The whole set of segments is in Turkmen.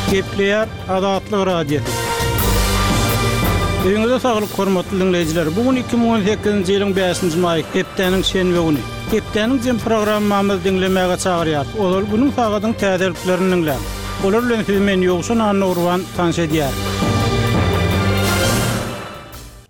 Gepleýär Azatlyk Radiosy. Öýüňize saglyk hormatly diňleýjiler. Bu gün 2018-nji ýylyň 5-nji maýy, hepdäniň şenbe güni. Hepdäniň jem programmamyzy diňlemäge çagyrýarys. Ozal günüň sagadyň täzeliklerini diňläň. Olar bilen sizi men Ýowşan Annagurban tanyş edýärin.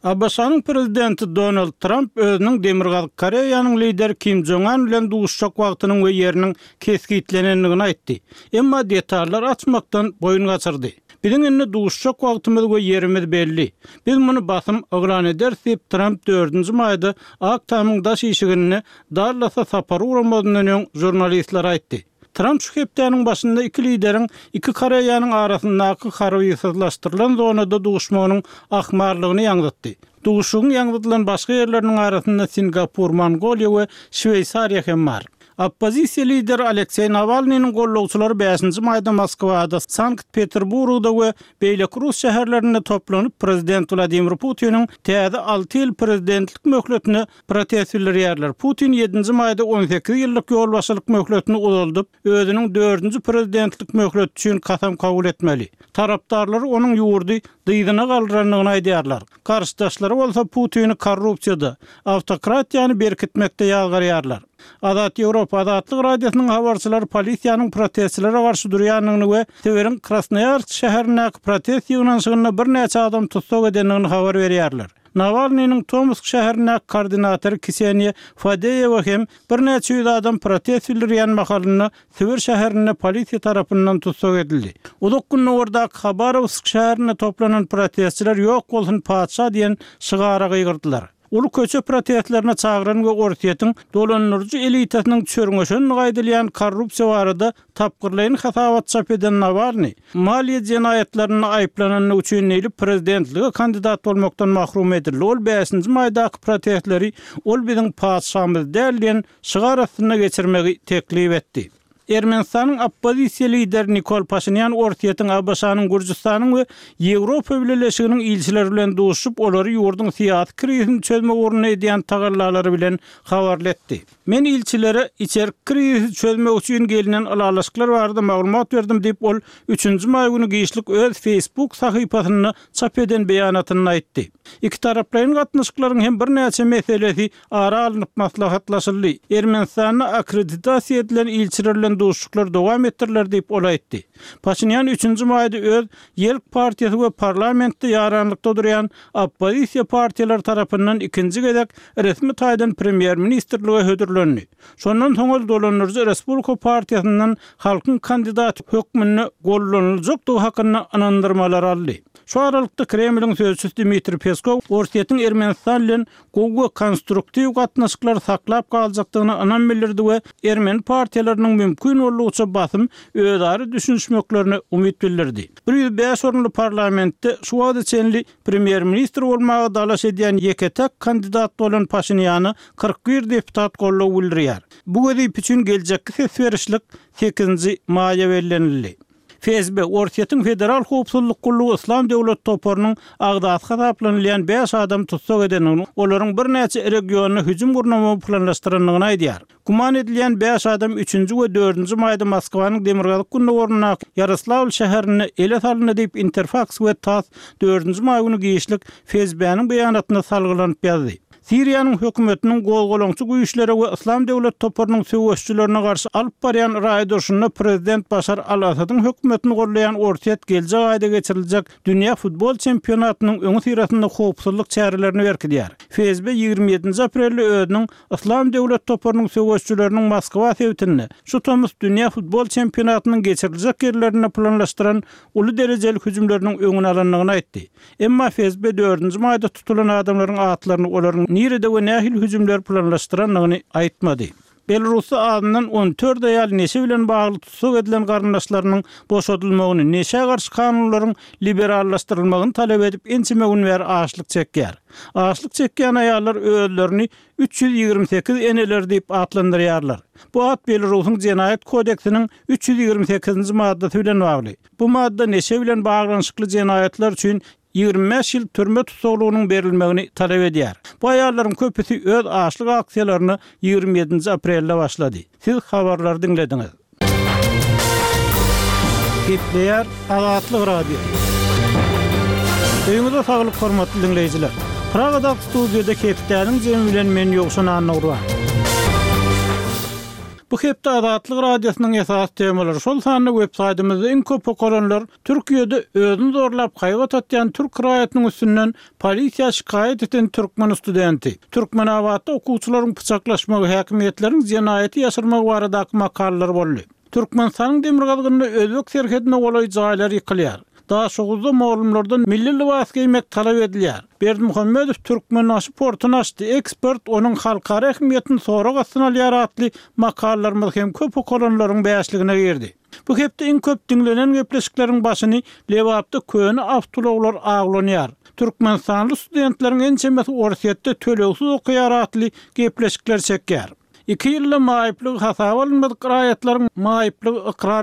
ABŞ-nyň prezidenti Donald Tramp özüniň Demirgazyk Koreýanyň lideri Kim Jong Un bilen duşuşjak wagtynyň we ýeriniň kesgitlenendigini aýtdy. Emma detallary açmakdan boýun gaçyrdy. Biziň indi duşuşjak wagtymyz we ýerimiz belli. Biz muny basym yglan ederis diýip, Tramp dördünji maýda Ak Tamyň daş işiginde Dallasa sapar ugramazyndan öň žurnalistlere aýtdy. Tramp şu hepdäniň başynda iki lideriň iki Koreýanyň arasyndaky harbysyzlaşdyrylan zonada duşmagynyň ahmallygyny ýaňzytdy. Duşuşygyň ýaňzydylan başga ýerleriniň arasynda Singapur, Mongoliýa we Şweýsariýa hem bar. Oppozisiýa lideri Alekseý Nawalnynyň gollagçylary bäşinji maýda Moskwada, Sankt-Peterburgda we beýleki rus şäherlerinde toplanyp, prezident Wladimir Putiniň täze alty ýyl prezidentlik möhletine protest bildirýärler. Putin ýedinji maýda 18 ýyllyk ýolbaşçylyk möhletini uzaldyp, özüniň dördünji prezidentlik möhleti üçin kasam kabul etmeli. Tarapdarlary onuň ýurdy dyzyna galdyrandygyny aýdýarlar. Garşydaşlary bolsa Putini korrupsiýada, awtokratiýany berkitmekde ýazgarýarlar. Azat Ýewropa Azatlyk Radiosynyň habarçylary polisiýanyň protestçilere garşy durýandygyny we Sibiriň Krasnoýarsk şäherindäki protest ýygnanyşygynda birnäçe adam tussag edendigini habar berýärler. Nawalnynyň Tomsk şäherindäki koordinatory Kseniýa Fadeýewa hem birnäçe ýüz adam protest bildirýän mahalynda Sibir şäherinde polisiýa tarapyndan tussag edildi. Uzak Gündogardaky Habarowsk şäherinde toplanan protestçiler Ýok bolsun patyşa diýen şygara gygyrdylar. Uly köçe protestlerine çagyran we Orsýetiň dolandyryjy elitasynyň çörňeşendigi aýdylýan korrupsiýa barada tapgyrlaýyn hasabat çap eden Nawalnyý, maliýe jenaýatlarynda aýyplanandygy üçin diýlip prezidentlige kandidat bolmakdan mahrum edildi. Ol bäşinji maýdaky protestleri Ol biziň patyşamyz däl diýen şygar astynda geçirmegi teklip etdi. Ermenistanyň oppozisiýa lideri Nikol Paşinýan Orsýetiň, ABŞ-nyň, Gürjüstanyň we Ýewropa Bileleşiginiň ilçileri bilen duşuşyp, olary ýurduň syýasy krizisini çözmek ugrunda edýän tagallalary bilen habarly etdi. Men ilçilere içerki krizisi çözmek üçin gelnen ylalaşyklar barada maglumat berdim diýip, ol üçünji maý güni giçlik öz Facebook sahypasynda çap eden beýanatynda aýtdy. Ikitaraplaýyn gatnaşyklaryň hem birnäçe meselesi ara alnyp maslahatlaşyldy. Ermenistanda akkreditasiýa edilen ilçiler bilen duşuşyklar dowam etdiriler diýip, ol aýtdy. Paşinýan üçünji maýda öz Ýelk partiýasy we parlamentde ýaranlykda durýan oppozisiýa partiýalary tarapyndan ikinji gezek resmi taýdan premýer-ministrlige hödürlendi. Şondan soň ol dolandyryjy Respublika partiýasyndan halkyň kandidaty hökmünde goldanyljakdygy hakynda ynandyrmalar aldy. Şu aralykda Kremliň sözçüsi Dmitriý Peskow Orsýetiň Ermenistan bilen gowy we konstruktiw gatnaşyklary saklap galjakdygyna ynam bildirdi we ermeni partiýalarynyň mümkin boldugyça basym özara düşünişmeklerine umyt bildirdi. 105 orunly parlamentde şu wagta çenli premýer-ministr bolmaga dalaş edýän ýeke-täk kandidat bolan Paşinýana 41 deputat goldaw bildirýär. Bu wezipe üçin geljekki ses berişlik sekizinji maýa bellenildi. FSB, Orsýetiň Federal howpsuzlyk gullugy Yslam döwleti toparynyň agzasy hasaplanylýan bäş adamy tussag edendigini, olaryň birnäçe regionda hüjüm gurnamagy planlaşdyrandygyny aýdýar. Güman edilýän bäş adam üçünji we dördünji maýda Moskwanyň demirgazyk-gündogaryndaky Ýaroslawl şäherinde ele salyndy diýip, Interfaks we tass dördünji maý güni giçlik FSB-niň beýanatyna salgylanyp ýazdy. Siriýanyň hökümetiniň gozgalaňçy güýçlere we Yslam döwlet toparynyň söweşijilerine garşy alyp barýan raýat urşunda prezident Başar al-Assadyň hökümetini goldaýan Orsýet geljek aýda geçiriljek dünýä futbol çempionatynyň öňüsyrasynda howpsuzlyk çärelerini berkidýär. FSB 27-nji aprelde özüniň Yslam döwlet toparynyň söweşijileriniň Moskwa sebitinde şu tomus dünýä futbol çempionatynyň geçiriljek ýerlerinde planlaşdyran uly derejeli hüjümleriniň öňüni alandygyny aýtdy. Emma FSB dördünji maýda tutulan adamlaryň atlaryny, olaryň nirede we nähili hüjümleri planlaşdyrandygyny aýtmady. Belarusda azyndan 14 aýal neşe bilen bagly tussag edilen garyndaşlarynyň boşadylmagyny, neşä garşy kanunlaryň liberallaşdyrylmagyny talap edip ençeme gün bäri açlyk çekýär. Açlyk çekýän aýallar özlerini 328 eneler diýip atlandyrýarlar. Bu at Belarusyň Jenaýat kodeksiniň 328-nji maddasy bilen bagly. Bu madda neşe bilen baglanyşykly jenaýatlar üçin 25 ýyl türme tussaglygynyň berilmegini talap edýär. Bu aýallaryň köpüsi öz açlyk aksiýalaryna 27-nji aprelde başlady. Siz habarlary diňlediňiz. Gepleýär Azatlyk Radiosy. Öýüňize saglyk hormatly diňleýjiler. Pragadaky studiýada hepdäniň jemi bilen men Ýowşan Annagurban. Bu hepde Azatlyk Radiosynyň esasy temalary, şol sanda web saýtymyzda iň köp okalanlar Türkiýede özüni zorlap haýbat atýan türk raýatynyň üstünden polisiýa şikaýat eden türkmen studenti, Türkmenabatda okuwçylaryň pyçaklaşmagy, häkimiýetleriň jenaýaty ýaşyrmagy baradaky makalalar boldy. Türkmenistanyň demirgazygynda özbek serhedine golaý jaýlar ýykylýar. Daşoguzda mugallymlardan milli lybas geýmek talap edilýär. Berdimuhamedow Türkmenbaşy portuny açdy, ekspert onuň halkara ähmiýetini sorag astyna alýar atly makalalarymyz hem köp okalanlaryň bäşligine girdi. Bu hepde iň köp diňlenen gepleşikleriň başyny Lebapda köne awtoulaglar awlanýar, türkmenistanly studentleriň ençemesi Orsýetde tölegsiz okaýar atly gepleşikler çekýär. Iki ýylda maýyplygy hasaba alynmadyk raýatlaryň maýyplygy ykrar.